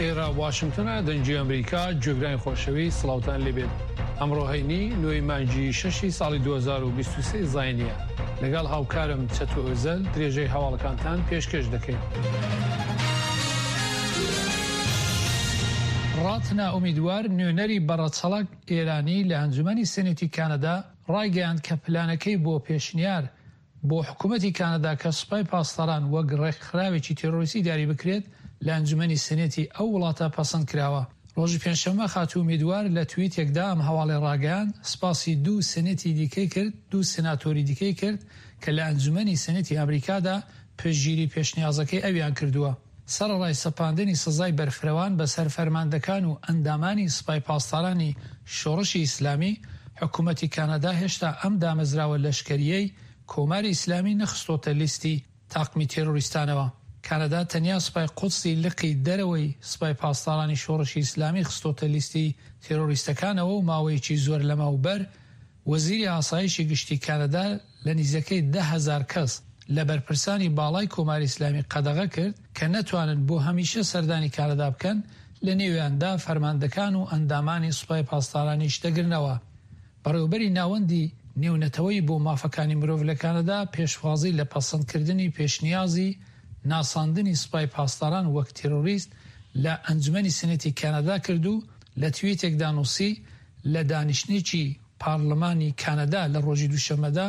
ئێرە واشنگتنە دەنگی ئەمریکا گوێگرانی خۆشەویست سڵاوتان لێبێت ئەمڕۆ هەینی نۆی مانگی شەشی ساڵی 2023 زاینیە لەگەڵ هاوکارم چەتۆ ئۆزەل درێژەی هەواڵەکانتان پێشکەش دەکەین. ڕاتنا ئومیدوار نوێنەری بەڕەچەڵەک ئێرانی لە ئەنجومەنی سێنێتی کانەدا ڕایگەیاند کە پلانەکەی بۆ پێشنیار بۆ حکومەتی کانەدا کە سوپای پاسداران وەک ڕێکخراوێکی تێرۆریستی دیاری بکرێت لە ئەنجومەنی سێنێتی ئەو وڵاتە پەسەند کراوە. ڕۆژی پێنجشەممە خاتوو ئومیدوار لە تویتێکدا ئەم هەواڵەی ڕاگەیاند، سپاسی دوو سێنێتی دیکەی کرد دوو سێناتۆری دیکەی کرد کە لە ئەنجومەنی سێنێتی ئەمریکادا پشتگیری پێشنیازەکەی ئەویان کردووە. سەرەڕای سەپاندنی سزای بەرفرەوان بەسەر فەرماندەکان و ئەندامانی سپای پاسدارانی شۆڕشی ئیسلامی، حکوومەتی کانادا هێشتا ئەم دامەزراوە لەشکەرییەی کۆماری ئیسلامی نەخستۆتە لیستی تاقمی تێرۆریستانەوە. کانادا تەنیا سپای قودسی لقی دەرەوەی سپای پاسدارانی شۆڕشی ئیسلامی خستۆتە لیستی تێرۆریستەکانەوە و ماوەیەکی زۆر لەمەوبەر وەزیری ئاسایشی گشتی کانەدا لە نیزەکەی 10,000 کەس لە بەرپرسانی باڵای کۆماری ئیسلامی قەدەغە کرد کە نەتوانن بۆ هەمیشە سەردانی کانەدا بکەن، لە نێویاندا فەرماندەکان و ئەندامانی سوپای پاسدارانیش دەگرنەوە. بەڕێوەبەری ناوەندی نێونەتەوەیی بۆ مافەکانی مرۆڤ لە کانەدا پێشوازی لە پەسەندکردنی پێشنیازی ناساندنی سوپای پاسداران وەک تێرۆریست لە ئەنجومەنی سێنێتی کانەدا کرد و لە تویتێکدا نووسی لە دانیشتنێکی پارلمانی کانەدا لە ڕۆژی دووشەممەدا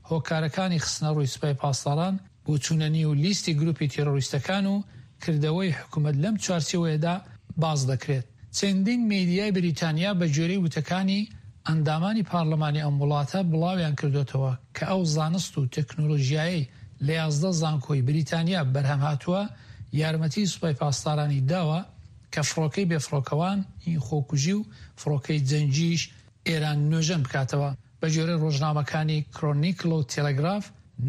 هۆکارەکانی خستنەڕووی سوپای پاسداران بۆ چوونە نیو لیستی گروپی تێرۆریستەکان و کردەوەی حکومەت لەم چوارچێوەیەدا باس دەکرێت. چەندین میدیای بریتانیا بە گوێرەی وتەکانی ئەندامانی پارلمانی ئەم وڵاتە بڵاویان کردۆتەوە کە ئەو زانست و تەکنۆلۆژیایەی لە 11 زانکۆی بریتانیا بەرهەم هاتووە یارمەتی سوپای پاسدارانی داوە کە فڕۆکەی بێفڕۆکەوان ی خۆکوژی و فڕۆکەی جەنگیش ئێران نۆژەن بکاتەوە. بەگوێرەی ڕۆژنامەکانی کرۆنیکڵ و تێلێگراف،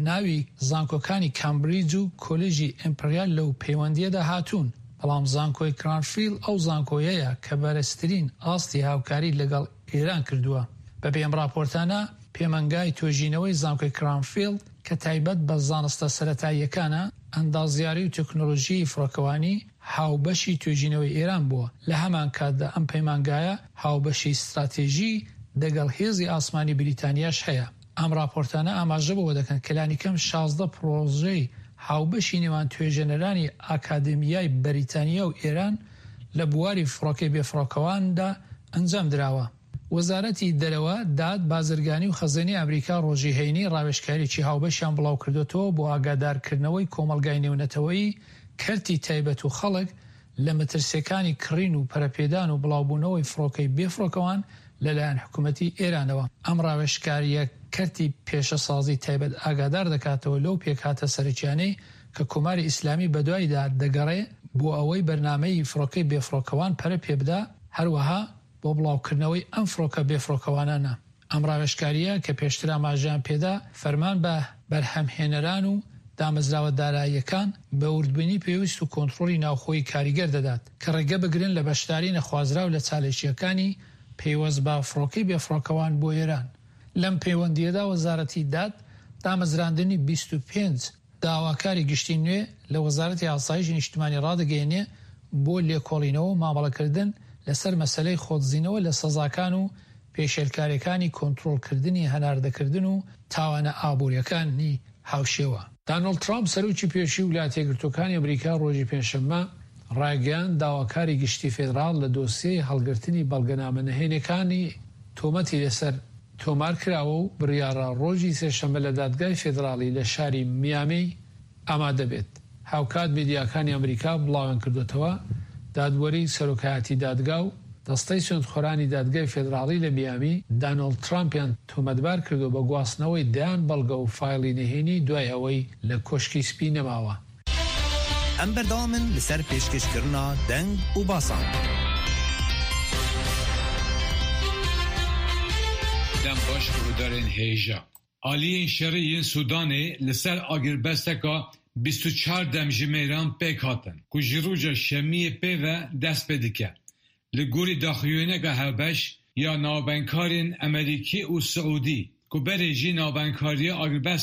ناوی زانکۆکانی کامبریج و کۆلێژی ئیمپریال لەو پەیوەندییەدا هاتوون، بەڵام زانکۆی کرانفیڵد ئەو زانکۆیەیە کە بەرزترین ئاستی هاوکاری لەگەڵ ئێران کردووە. بەپێی ئەم ڕاپۆرتانە، پەیمانگای توێژینەوەی زانکۆی کرانفیڵد کە تایبەت بە زانستە سەرەتاییەکانە، ئەندازیاری و تەکنۆلۆژیی فڕۆکەوانی، هاوبەشی توێژینەوەی ئێران بووە، لە هەمانکاتدا ئەم پەیمانگایە هاوبەشی ستراتێژی دەگەڵ هێزی ئاسمانی بریتانیاش هەیە. ئەم ڕاپۆرتانە ئاماژە بەوە دەکەن کە لانیکەم 16 پڕۆژەی هاوبەشی نێوان توێژێنەرانی ئاکادمیای بەریتانیا و ئێران لە بواری فڕۆکەی بێفڕۆکەواندا ئەنجام دراوە. وەزارەتی دەرەوە، داد، بازرگانی و خەزێنەی ئەمریکا ڕۆژی هەینی ڕاوێژکاریی هاوبەشیان بڵاوکردۆتەوە بۆ ئاگادارکردنەوەی کۆمەڵگای نێونەتەوەیی، کەرتی تایبەت و خەڵک لە مەترسییەکانی کڕین و پەرەپێدان و بڵاوبوونەوەی فڕۆکەی بێفڕۆکەوان لەلایەن حکومەتی ئێرانەوە. ئەم ڕاوێژکارییە کەرتی پێشەسازی تایبەت ئاگادار دەکاتەوە لەو پێکهاتە سەرەکیانەی کە کۆماری ئیسلامی بەدوایدا دەگەڕێ بۆ ئەوەی بەرنامەی فڕۆکەی بێفڕۆکەوان پەرە پێبدا، هەروەها بۆ بڵاوکردنەوەی ئەم فڕۆکە بێفڕۆکەوانانە. ئەم ڕاوێژکارییە کە پێشتر ئاماژەیان پێدا، فەرمان بە بەرهەمهێنەران و دامەزراوە داراییەکان بە وردبینی پێویست و کۆنترۆڵی ناوخۆیی کاریگەر دەدات کە ڕێگە بگرن لە بەشداری نەخوازراو لە چالاکییەکانی پەیوەست بە فڕۆکەی بێفڕۆکەوان بۆ ئێران. لەم پەیوەندییەدا وەزارەتی داد دامەزراندنی 25 داواکاری گشتی نوێ لە وەزارەتی ئاسایشی نیشتمانی ڕادەگەیەنێ بۆ لێکۆڵینەوە و مامەڵەکردن لەسەر مەسەلەی خۆدزینەوە لە سەزاکان و پێشێلکاریەکانی کۆنترۆڵکردنی هەناردەکردن و تاوانە ئابوریەکانی هاوشێوە. دانۆڵد ترامپ سەرۆکی پێشووی ولاتە یەکگرتووەکانی ئەمریکا ڕۆژی پێنجشەممە ڕایگەیاند داواکاری گشتی فێدراڵ لە دۆسیەی هەڵگرتنی بەڵگەنامە نهێنیەکانی تۆمەتی لەسەر تۆمار کراوە و بڕیاڕە ڕۆژی سێشەممە لە دادگای فێدراڵی لە شاری میامی ئامادە بێت. هاوکات میدیاکانی ئەمریکا بڵاویانکردۆتەوە، دادوەری سەرۆکایەتی دادگا و دەستەی سوێندخۆرانی دادگای فێدراڵی لە میامی، دانۆڵد ترامپیان تۆمەتبار کردووە بە گواستنەوەی دەیان بەڵگە و فایڵی نهێنی دوای ئەوەی لە کۆشکی سپی نەماوە. Em berdewam in li ser pêşkêşkirina deng û basan. Dem baş guhdarên hêja. Aliyên şerî yên Sûdanê li ser agirbesteka 24 demjimêran pêk hatin ku ji roja şemiyê pê ve dest pê dike. Li gorî daxuyaniyeke hevbeş ya navbeynkarên Amerîkî û Siûdî ku berê jî navbeynkariya agirbest.